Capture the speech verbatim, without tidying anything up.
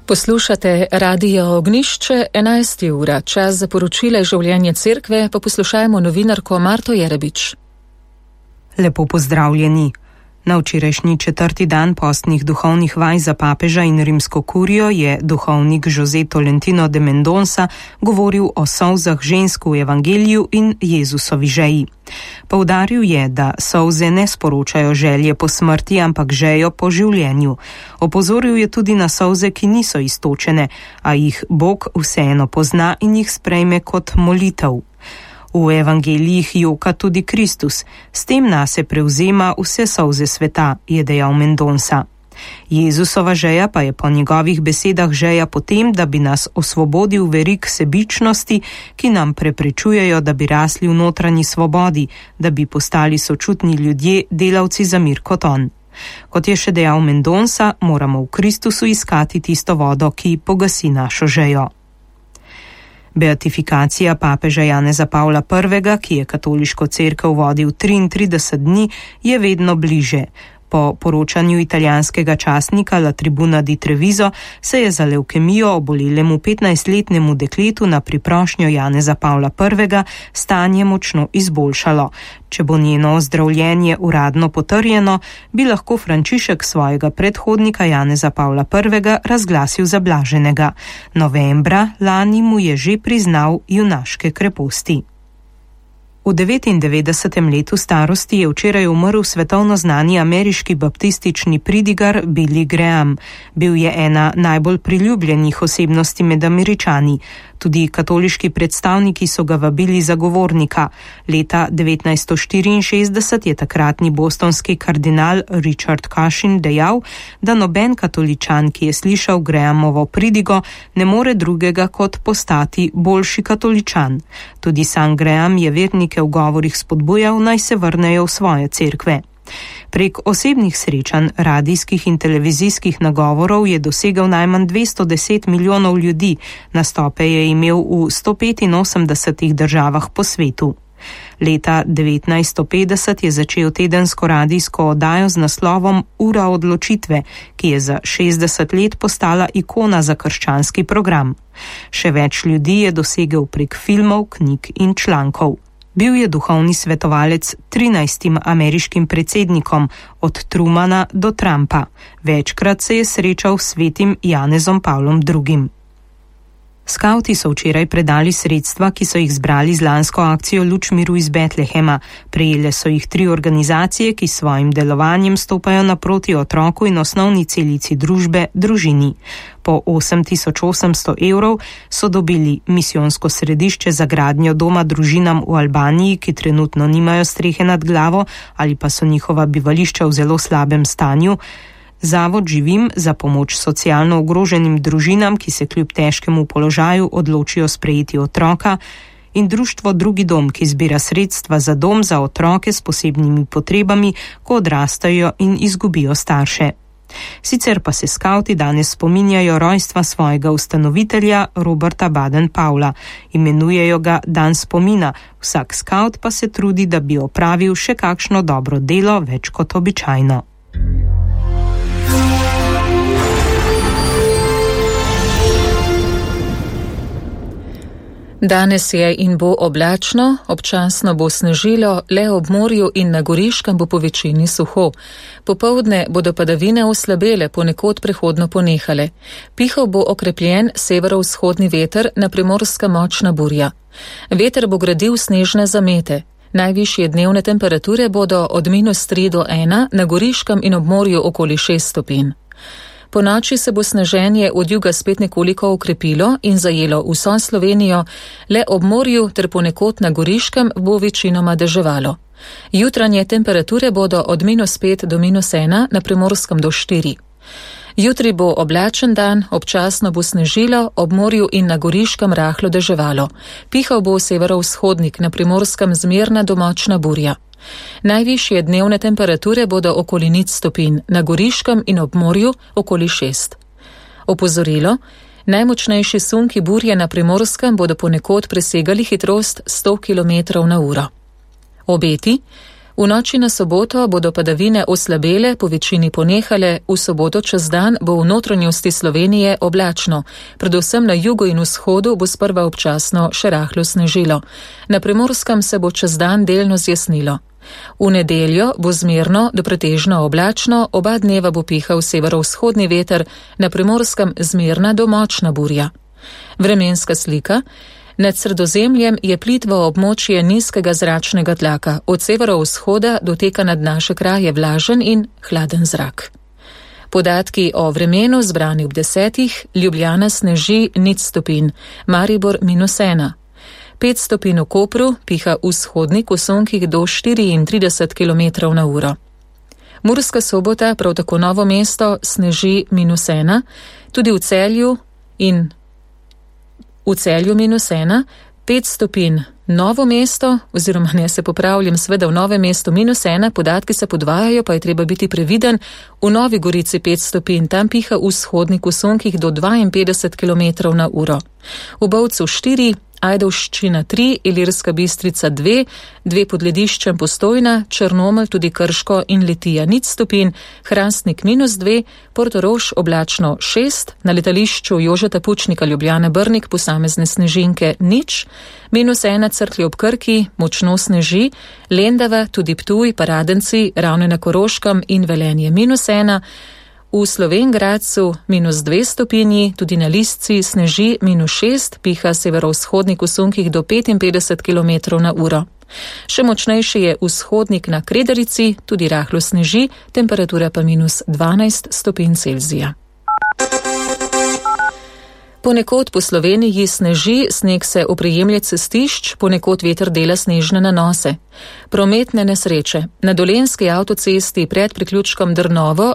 Poslušate Radio Ognjišče, enajsta ura, čas za poročile življenje cerkve, pa poslušajmo novinarko Marto Jerebič. Lepo pozdravljeni. Na včerajšnji četrti dan postnih duhovnih vaj za papeža in rimsko kurijo je duhovnik José Tolentino de Mendonça govoril o solzah žensk v evangeliju in Jezusovi žeji. Poudaril je, da solze ne sporočajo želje po smrti, ampak žejo po življenju. Opozoril je tudi na solze, ki niso iztočene, a jih Bog vseeno pozna in jih sprejme kot molitev. V evangelijih joka tudi Kristus, s tem nase prevzema vse solze sveta, je dejal Mendonça. Jezusova žeja pa je po njegovih besedah žeja potem, da bi nas osvobodil verig sebičnosti, ki nam preprečujejo, da bi rasli v notranji svobodi, da bi postali sočutni ljudje, delavci za mir kot on. Kot je še dejal Mendonça, moramo v Kristusu iskati tisto vodo, ki pogasi našo žejo. Beatifikacija papeža Janeza Pavla prvega, ki je katoliško cerkev vodil triintrideset dni, je vedno bliže. Po poročanju italijanskega časnika La Tribuna di Treviso se je za levkemijo obolelemu petnajstletnemu dekletu na priprošnjo Janeza Pavla prvega stanje močno izboljšalo. Če bo njeno ozdravljenje uradno potrjeno, bi lahko Frančišek svojega predhodnika Janeza Pavla prvega razglasil za blaženega. Novembra lani mu je že priznal junaške kreposti. V devetindevetdesetem letu starosti je včeraj umrl svetovno znani ameriški baptistični pridigar Billy Graham. Bil je ena najbolj priljubljenih osebnosti med Američani. Tudi katoliški predstavniki so ga vabili za govornika. Leta devetnajststo štiriinšestdeset je takratni bostonski kardinal Richard Cushing dejal, da noben katoličan, ki je slišal Grahamovo pridigo, ne more drugega kot postati boljši katoličan. Tudi sam Graham je vernike v govorih spodbujal, naj se vrnejo v svoje cerkve. Prek osebnih srečanj, radijskih in televizijskih nagovorov je dosegel najmanj dvesto deset milijonov ljudi, nastope je imel v sto petinosemdesetih državah po svetu. Leta devetnajststo petdeset je začel tedensko radijsko oddajo z naslovom Ura odločitve, ki je za šestdeset let postala ikona za krščanski program. Še več ljudi je dosegel prek filmov, knjig in člankov. Bil je duhovni svetovalec trinajstim ameriškim predsednikom, od Trumana do Trumpa. Večkrat se je srečal s svetim Janezom Pavlom drugim. Skavti so včeraj predali sredstva, ki so jih zbrali z lansko akcijo Luč miru iz Betlehema. Prejele so jih tri organizacije, ki s svojim delovanjem stopajo naproti otroku in osnovni celici družbe, družini. Po osem tisoč osemsto evrov so dobili misijonsko središče za gradnjo doma družinam v Albaniji, ki trenutno nimajo strehe nad glavo ali pa so njihova bivališča v zelo slabem stanju, Zavod Živim za pomoč socialno ogroženim družinam, ki se kljub težkemu položaju odločijo sprejeti otroka, in društvo Drugi dom, ki zbira sredstva za dom za otroke s posebnimi potrebami, ko odrastajo in izgubijo starše. Sicer pa se skavti danes spominjajo rojstva svojega ustanovitelja Roberta Baden-Powella. Imenujejo ga dan spomina, vsak skavt pa se trudi, da bi opravil še kakšno dobro delo več kot običajno. Danes je in bo oblačno, občasno bo snežilo, le ob morju in na Goriškem bo po večini suho. Popoldne bodo padavine oslabele, ponekod prehodno ponehale. Pihal bo okrepljen severovzhodni veter, na Primorskem močna burja. Veter bo gradil snežne zamete. Najvišje dnevne temperature bodo od minus tri do ena, na Goriškem in ob morju okoli šest stopinj. Po noči se bo sneženje od juga spet nekoliko okrepilo in zajelo vso Slovenijo, le ob morju ter ponekod na Goriškem bo večinoma deževalo. Jutranje temperature bodo od minus pet do minus ena, na Primorskem do štiri. Jutri bo oblačen dan, občasno bo snežilo, ob morju in na Goriškem rahlo deževalo. Pihal bo severovzhodnik, na Primorskem zmerna do močna burja. Najvišje dnevne temperature bodo okoli nič stopinj, na Goriškem in ob morju okoli šest. Opozorilo: najmočnejši sunki burje na Primorskem bodo ponekod presegali hitrost sto kilometrov na uro. Obeti: V noči na soboto bodo padavine oslabele, po večini ponehale, v soboto čez dan bo v notranjosti Slovenije oblačno. Predvsem na jugu in vzhodu bo sprva občasno še rahlo snežilo. Na Primorskem se bo čez dan delno zjasnilo. V nedeljo bo zmerno do pretežno oblačno, oba dneva bo pihal severovzhodni veter, na Primorskem zmerna do močna burja. Vremenska slika. Nad Sredozemljem je plitvo območje nizkega zračnega tlaka, od severovzhoda doteka nad naše kraje vlažen in hladen zrak. Podatki o vremenu zbrani ob desetih, Ljubljana sneži nič stopinj, Maribor minus ena. Pet stopinj v Kopru, piha vzhodnik v sunkih do štiriintrideset kilometrov na uro. Murska Sobota, prav tako Novo mesto, sneži minus ena, tudi v Celju in v Celju minus ena, pet stopinj Novo mesto, oziroma ne se popravljam, sveda v Novem mestu minus ena, podatki se podvajajo, pa je treba biti previden, v Novi Gorici pet stopinj, tam piha vzhodnik v sunkih do dvainpetdeset kilometrov na uro. V Bovcu štiri, Ajdovščina tri, Ilirska Bistrica dve, dve pod Lediščem Postojna, Črnomelj, tudi Krško in Litija nič stopinj, Hrastnik minus dve, Portorož oblačno šest, na letališču Jožeta Pučnika Ljubljana Brnik posamezne snežinke nič, minus ena Cerklje ob Krki, močno sneži, Lendava, tudi Ptuj, Paradenci, Ravne na Koroškem in Velenje minus ena, v Slovenj Gradcu minus dve stopinji, tudi na Lisci sneži minus šest, piha severovzhodnik v sunkih do petinpetdeset kilometrov na uro. Še močnejši je vzhodnik na Kredarici, tudi rahlo sneži, temperatura pa minus dvanajst stopinj Celzija. Ponekod po Sloveniji sneži, sneg se oprijemlja cestišč, ponekod veter dela snežne nanose. Prometne nesreče. Na Dolenjski avtocesti pred priključkom Drnovo